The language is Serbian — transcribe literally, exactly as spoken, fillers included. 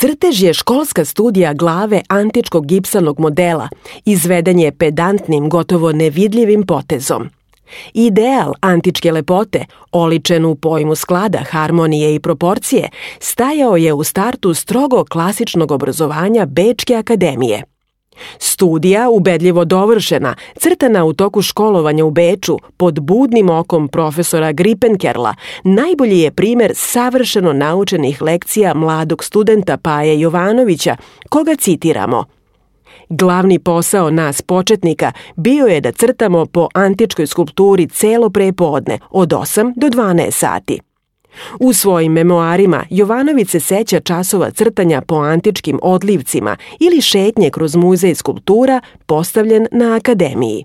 Crtež je školska studija glave antičkog gipsanog modela, izveden je pedantnim, gotovo nevidljivim potezom. Ideal antičke lepote, oličen u pojmu sklada, harmonije i proporcije, stajao je u startu strogo klasičnog obrazovanja Bečke akademije. Studija, ubedljivo dovršena, crtana u toku školovanja u Beču pod budnim okom profesora Gripenkerla, najbolji je primer savršeno naučenih lekcija mladog studenta Paje Jovanovića, koga citiramo. Glavni posao nas početnika bio je da crtamo po antičkoj skulpturi celo prepodne, od osam do dvanaest sati. U svojim memoarima Jovanović se seća časova crtanja po antičkim odlivcima ili šetnje kroz muzej skulptura postavljen na akademiji.